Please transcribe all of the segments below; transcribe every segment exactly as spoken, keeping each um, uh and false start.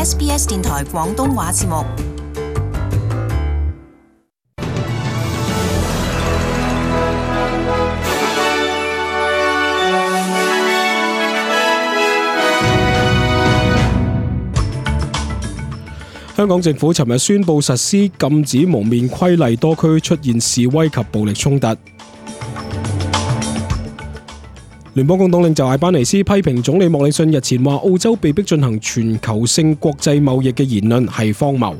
S B S 電台廣東話節目。香港政府尋日宣布實施禁止蒙面規例，多區出現示威及暴力衝突。聯邦工黨領袖艾班尼斯批評總理莫里遜日前話澳洲被迫進行全球性國際貿易嘅言論係荒謬。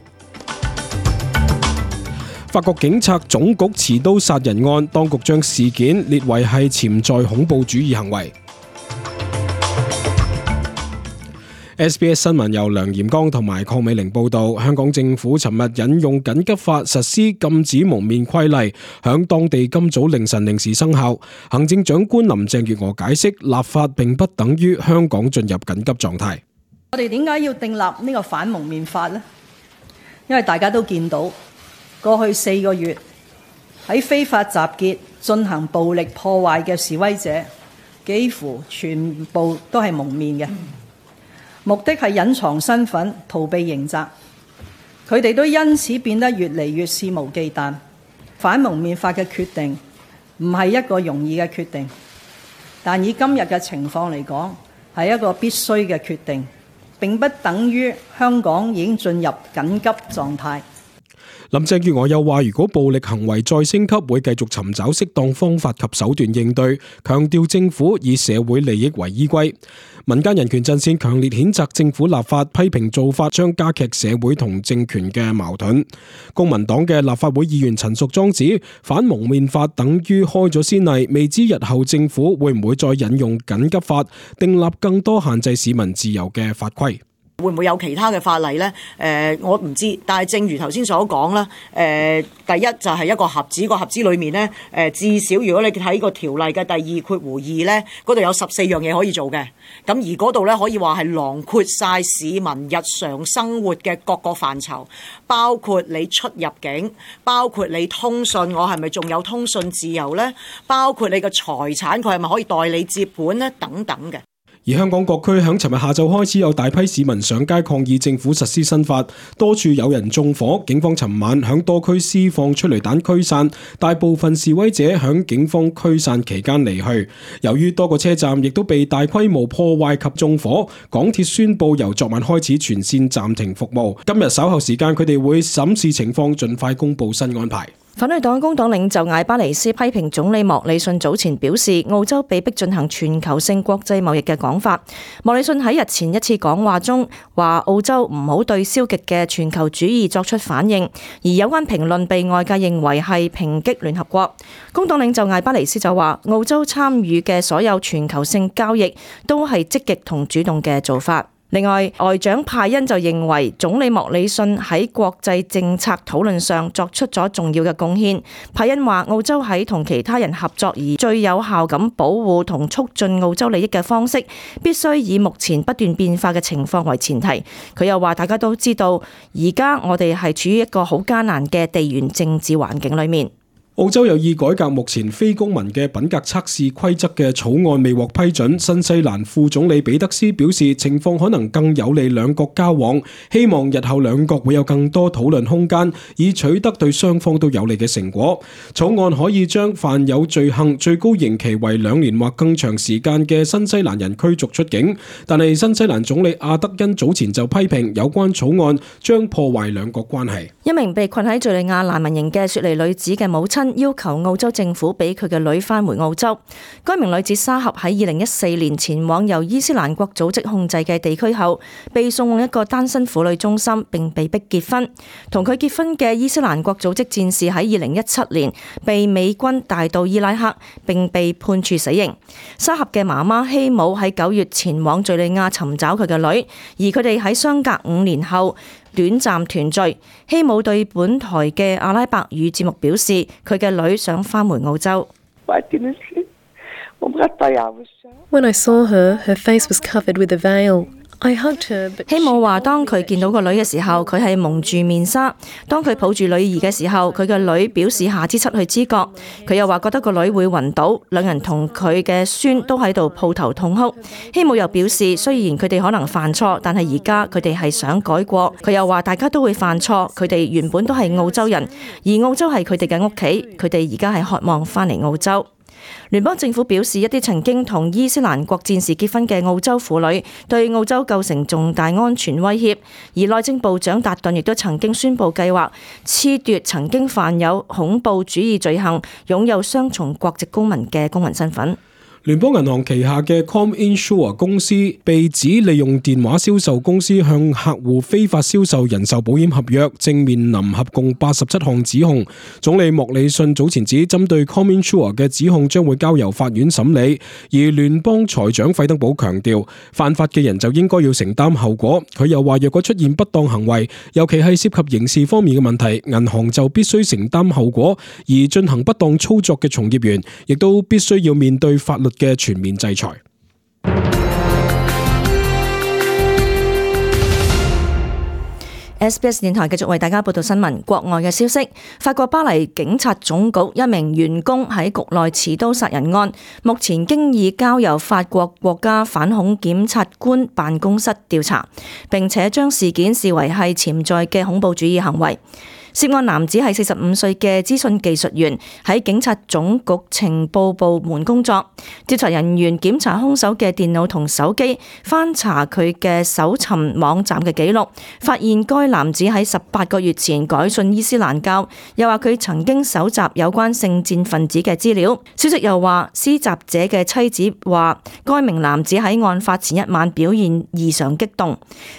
法國警察總局持刀殺人案，當局將事件列為係潛在恐怖主義行為。S B S 新聞由梁炎剛同埋鄺美玲報道，香港政府尋日引用緊急法實施禁止蒙面規例，響當地今早凌晨零時生效。行政長官林鄭月娥解釋，立法並不等於香港進入緊急狀態。我哋點解要訂立呢個反蒙面法呢？因為大家都見到過去四個月喺非法集結進行暴力破壞嘅示威者，幾乎全部都係蒙面嘅。目的係隱藏身份，逃避刑責。佢哋都因此變得越嚟越肆無忌憚。反蒙面法嘅決定唔係一個容易嘅決定，但以今日嘅情況嚟講，係一個必須嘅決定，並不等於香港已經進入緊急狀態。林鄭月娥又話，如果暴力行為再升級，會繼續尋找適當方法及手段應對，強調政府以社會利益為依歸。民間人權陣線強烈譴責政府立法，批評做法將加劇社會同政權嘅矛盾。公民黨嘅立法會議員陳淑莊指，反蒙面法等於開咗先例，未知日後政府會唔會再引用緊急法，訂立更多限制市民自由嘅法規。會唔會有其他嘅法例呢？誒、呃，我唔知。但係正如頭先所講啦，誒、呃，第一就係一個盒子，個盒子裏面呢，誒、呃，至少如果你睇個條例嘅第二括弧二呢，嗰度有十四樣嘢可以做嘅。咁而嗰度呢，可以話係囊括晒市民日常生活嘅各個範疇，包括你出入境，包括你通訊，我係咪仲有通訊自由呢？包括你嘅財產，佢係咪可以代理接管呢？等等嘅。而香港各區響尋日下晝開始有大批市民上街抗議政府實施新法，多處有人縱火，警方尋晚響多區施放催淚彈驅散，大部分示威者響警方驅散期間離去。由於多個車站亦都被大規模破壞及縱火，港鐵宣布由昨晚開始全線暫停服務。今日稍後時間佢哋會審視情況，盡快公布新安排。反對黨工黨領袖艾巴尼斯批評總理莫里遜早前表示澳洲被迫進行全球性國際貿易嘅講法。莫里遜喺日前一次講話中話澳洲唔好對消極嘅全球主義作出反應，而有關評論被外界認為係抨擊聯合國。工黨領袖艾巴尼斯就話澳洲參與嘅所有全球性交易都係積極同主動嘅做法。另外，外長派恩就認為總理莫里遜喺國際政策討論上作出咗重要嘅貢獻。派恩話澳洲喺同其他人合作而最有效咁保護同促進澳洲利益嘅方式，必須以目前不斷變化嘅情況為前提。佢又話大家都知道，而家我哋係處於一個好艱難嘅地緣政治環境裏面。澳洲有意改革目前非公民嘅品格測試規則嘅草案未獲批准，新西蘭副總理彼得斯表示情況可能更有利兩國交往，希望日後兩國會有更多討論空間，以取得對雙方都有利嘅成果。草案可以將犯有罪行最高刑期為兩年或更長時間嘅新西蘭人驅逐出境，但係新西蘭總理阿德恩早前就批評有關草案將破壞兩國關係。一名被困喺敘利亞難民營嘅雪梨女子嘅母親要求澳洲政府俾佢嘅女返回澳洲。該名女子沙合喺二零一四年前往由伊斯蘭國組織控制嘅地區後，被送往一個單身婦女中心，並被逼結婚。同佢結婚嘅伊斯蘭國組織戰士喺二零一七年被美軍帶到伊拉克，並被判處死刑。沙合嘅媽媽希姆喺九月前往敘利亞尋找佢嘅女，而佢哋喺相隔五年後短暫團聚。希姆對本台嘅阿拉伯語節目表示，佢嘅女想返回澳洲。When I saw her, her face was covered with a veil. 希姆話當佢見到個女嘅時候，佢係蒙住面紗。當佢抱住女兒嘅時候，佢嘅女表示下肢失去知覺。佢又話覺得個女會暈倒。兩人同佢嘅孫都喺度抱頭痛哭。希姆又表示，雖然佢哋可能犯錯，但係而家佢哋係想改過。佢又話大家都會犯錯，佢哋原本都係澳洲人，而澳洲係佢哋嘅屋企，佢哋而家係渴望返嚟澳洲。聯邦政府表示，一啲曾經同伊斯蘭國戰士結婚嘅澳洲婦女對澳洲構成重大安全威脅，而內政部長達頓亦都曾經宣布計劃褫奪曾經犯有恐怖主義罪行、擁有雙重國籍公民嘅公民身份。聯邦銀行旗下嘅 ComInsure 公司被指利用電話銷售公司向客戶非法銷售人壽保險合約，正面臨合共八十七項指控。總理莫里遜早前指，針對 ComInsure 嘅指控將會交由法院審理，而聯邦財長費登堡強調，犯法嘅人就應該要承擔後果。佢又話，若果出現不當行為，尤其係涉及刑事方面嘅問題，銀行就必須承擔後果，而進行不當操作嘅從業員亦都必須要面對法律嘅全面制裁。S B S 電台繼續為大家報道新聞。國外嘅消息，法國巴黎警察總局一名員工喺局內持刀殺人案，目前經已交由法國國家反恐檢察官辦公室調查，並且將事件視為係潛在嘅恐怖主義行為。涉案男子係四十五歲嘅資訊技術員，喺警察總局情報部門工作。調查人員檢查兇手嘅電腦同手機，翻查佢嘅搜尋網站嘅記錄，發現該男子喺十八個月前改信伊斯蘭教，又話佢曾經搜集有關聖戰分子嘅資料。消息又話，施襲者嘅妻子話，該名男子喺案發前一晚表現異常激動。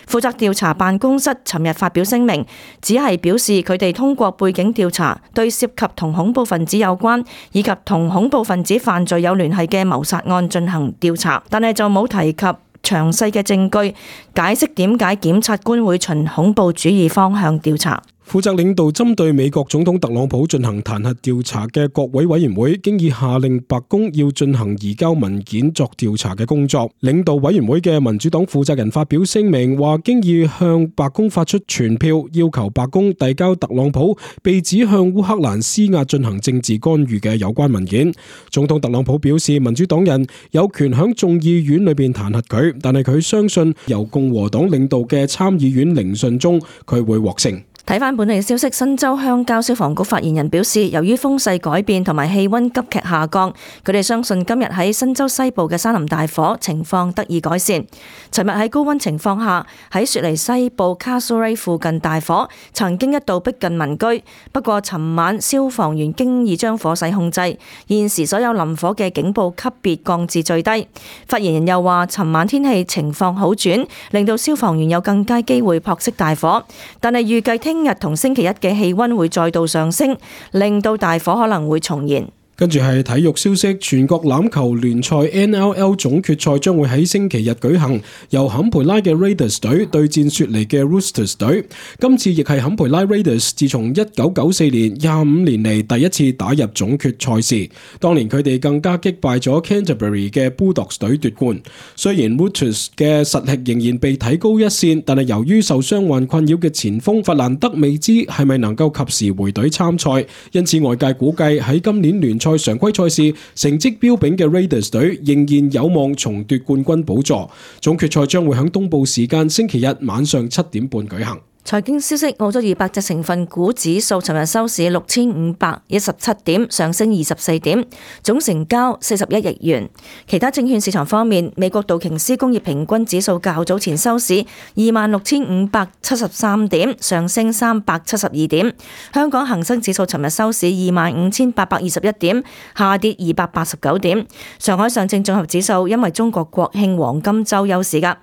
負責調查辦公室尋日發表聲明，只係表示佢哋通過背景調查，對涉及同恐怖分子有關以及同恐怖分子犯罪有聯繫嘅謀殺案進行調查，但係就冇提及詳細嘅證據解釋點解檢察官會循恐怖主義方向調查。負責領導針對美國總統特朗普進行彈劾調查嘅國會委員會，經已下令白宮要進行移交文件作調查嘅工作。領導委員會嘅民主黨負責人發表聲明，話經已向白宮發出傳票，要求白宮遞交特朗普被指向烏克蘭施壓進行政治干預嘅有關文件。總統特朗普表示，民主黨人有權響眾議院裏邊彈劾佢，但係佢相信由共和黨領導嘅參議院聆訊中，佢會獲勝。睇返本地嘅消息，新州鄉郊消防局發言人表示，由於風勢改變同埋氣溫急劇下降，佢哋相信今日喺新州西部嘅山林大火情況得以改善。尋日喺高溫情況下，喺雪梨西部 Castlereagh 附近大火曾經一度逼近民居，不過尋晚消防員經已將火勢控制，現時所有臨火嘅警報級別降至最低。發言人又話，尋晚天氣情況好轉，令到消防員有更佳機會撲熄大火，但係預計聽聽日同星期一嘅氣溫會再度上升，令到大火可能會重燃。跟住係體育消息，全國欖球聯賽 N L L 總決賽將會喺星期日舉行，由坎培拉嘅 Raiders 隊對戰雪梨嘅 Roosters 隊。今次亦係坎培拉 Raiders 自從一九九四年廿五年嚟第一次打入總決賽事，當年佢哋更加擊敗咗 Canterbury 嘅 Bulldogs 隊奪冠。雖然 Roosters 嘅實力仍然被提高一線，但係由於受傷患困擾嘅前鋒弗蘭德未知係咪能夠及時回隊參賽，因此外界估計喺今年聯賽常規賽事成績彪炳嘅 Raiders 隊仍然有望重奪冠軍寶座。總決賽將會喺東部時間星期日晚上七點半舉行。財經消息，澳洲二百隻成分股指數尋日收市六千五百一十七點，上升二十四點，總成交四十一億元。其他證券市場方面，美國道瓊斯工業平均指數較早前收市二萬六千五百七十三點，上升三百七十二點。香港恒生指數尋日收市二萬五千八百二十一點，下跌二百八十九點。上海上證綜合指數因為中國國慶黃金週休市㗎。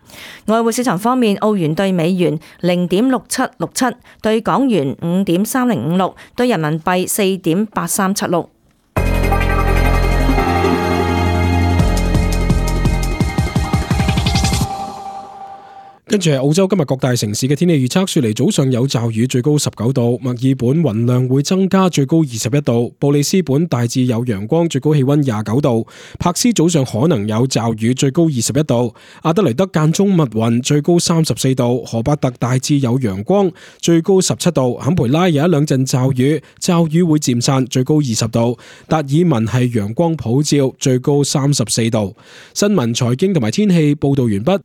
外匯市場方面，澳元對美元零點六七六七，對港元五點三零五六，對人民幣四點八三七六。跟住係澳洲今日各大城市嘅天氣預測，雪梨早上有驟雨，最高十九度；墨爾本雲量會增加，最高二十一度；布里斯本大致有陽光，最高氣溫廿九度；柏斯早上可能有驟雨，最高二十一度；阿德萊德間中密雲，最高三十四度；荷伯特大致有陽光，最高十七度；坎培拉有一兩陣驟雨，驟雨會漸散，最高二十度；達爾文係陽光普照，最高三十四度。新聞、財經同埋天氣報道完畢。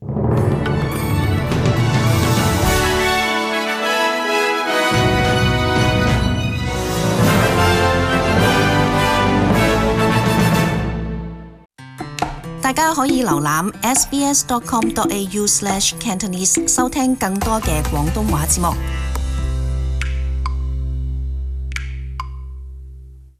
大家可以瀏覽 s b s dot com dot a u slash cantonese 收聽更多嘅廣東話節目。